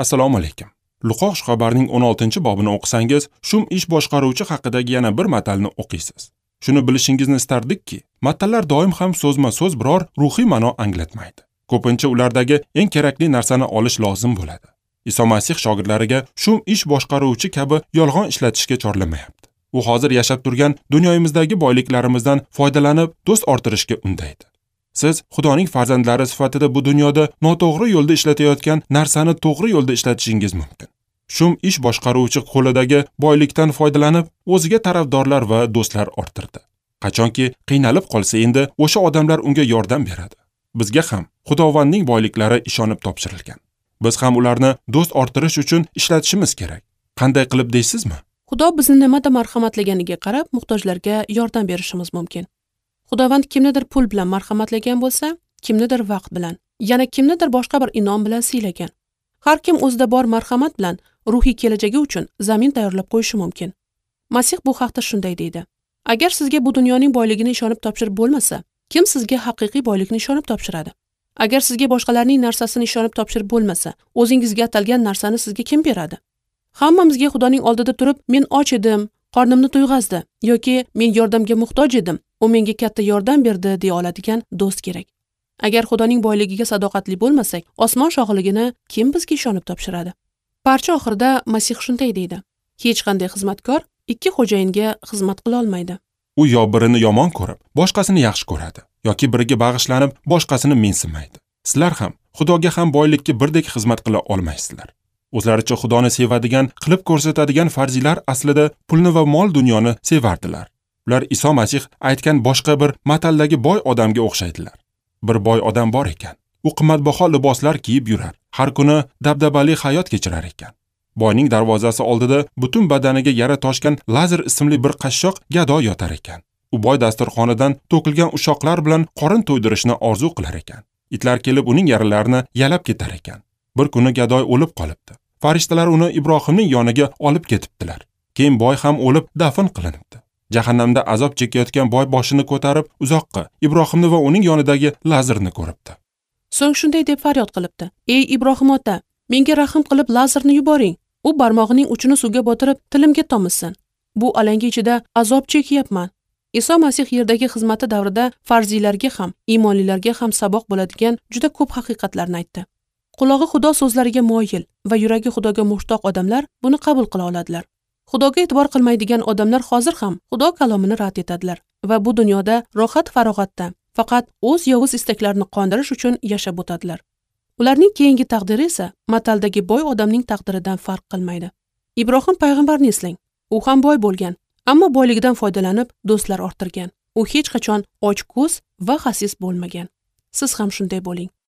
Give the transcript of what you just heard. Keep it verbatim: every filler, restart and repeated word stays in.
Assalomu alaykum. Luqo xushxabarning o'n oltinchi bobini o'qisangiz, shum ish boshqaruvchi haqidagi yana bir matalni o'qiysiz. Shuni bilishingizni istardikki, matallar doim ham so'zma-so'z biror ruhiy ma'no anglatmaydi. Ko'pincha ulardagi eng kerakli narsani olish lozim bo'ladi. Iso Masih shogirdlariga shum ish boshqaruvchi kabi yolg'on ishlatishga chorlamayapti. U hozir yashab turgan dunyomizdagi boyliklarimizdan foydalanib, do'st orttirishga undaydi. Siz Xudoning farzandlari sifatida bu dunyoda noto'g'ri yo'lda ishlatayotgan narsani to'g'ri yo'lda ishlatishingiz mumkin. Shum ish boshqaruvchi qo'lidagi boylikdan foydalanib, o'ziga tarafdorlar va do'stlar orttirdi. Qachonki qiynalib qolsa, endi o'sha odamlar unga yordam beradi. Bizga ham Xudovandning boyliklari ishonib topshirilgan. Biz ham ularni do'st orttirish uchun ishlatishimiz kerak. Qanday qilib deysizmi? Xudo bizni nimada marhamatlaganiga qarab muhtojlarga yordam berishimiz mumkin. Xudovand kimnidir pul bilan marhamatlagan bo'lsa, kimnidir vaqt bilan, yana kimnidir boshqa bir inom bilan siylagan. Har kim o'zida bor marhamat bilan ruhiy kelajagi uchun zamin tayyorlab qo'yishi mumkin. Masih bu haqda shunday deydi: Agar sizga bu dunyoning boyligini ishonib topshirib bo'lmasa, kim sizga haqiqiy boylikni ishonib topshiradi? Agar sizga boshqalarning narsasini ishonib topshirib bo'lmasa, o'zingizga atalgan narsani sizga kim beradi? Hammamizga Xudoning oldida turib, men och edim, qornimni to'yg'azdi yoki men yordamga muhtoj edim, u menga katta yordam berdi deya oladigan do'st kerak. Agar Xudoning boyligiga sadoqatli bo'lmasak, osmon shohligini kim bizga ishonib topshiradi? Parcha oxirida Masih shunday deydi: Hech qanday xizmatkor ikki xo'jayinga xizmat qila olmaydi. U yo birini yomon ko'rib, boshqasini yaxshi ko'radi, yoki biriga bag'ishlanib, boshqasini mensimaydi. Sizlar ham Xudoga ham boylikka birdek xizmat qila olmaysizlar. O'zlaricha Xudoni sevadigan, qilib ko'rsatadigan farziylar aslida pulni va mol dunyoni sevardilar. Ular Iso Masih aytgan boshqa bir mataldagi boy odamga o'xshaydilar. Bir boy odam bor ekan. U qimmatbaho liboslar kiyib yurar, har kuni dabdabali hayot kechirar ekan. Boyning darvozasi oldida butun badaniga yara toshgan Lazar ismli bir qashshoq gado yotar ekan. U boy dasturxonidan to'kilgan ushoqlar bilan qorin to'ydirishni orzu qilar ekan. Itlar kelib uning yaralarini yalab ketar ekan. Bir kuni gadoy o'lib qolibdi. Farishtalar uni Ibrohimning yoniga olib ketibdilar. Keyin boy ham o'lib dafn qilinibdi. Jahannamda azob chekayotgan boy boshini ko'tarib uzoqqa Ibrohimni va uning yonidagi Lazarni ko'ribdi. So'ng shunday deb faryod qilibdi: Ey Ibrohim ota, menga rahm qilib Lazarni yuboring. U barmog'ining uchini suvga botirib tilimga tomizsin. Bu alanga ichida azob chekyapman. Iso Masih yerdagi xizmati davrida farziylarga ham, iymonlilarga ham saboq bo'ladigan juda ko'p haqiqatlarni aytdi. Qulog'i Xudo so'zlariga moyil va yuragi Xudoga mushtoq odamlar buni qabul qila oladilar. Xudoga e'tibor qilmaydigan odamlar hozir ham Xudo kalomini rad etadilar va bu dunyoda rohat farog'atda faqat o'z yovuz istaklarini qondirish uchun yashab o'tadilar. Ularning keyingi taqdiri esa mataldagi boy odamning taqdiridan farq qilmaydi. Ibrohim payg'ambarni eslang. U ham boy bo'lgan, ammo boyligidan foydalanib do'stlar orttirgan. U hech qachon ochko'z va xasis bo'lmagan. Siz ham shunday bo'ling.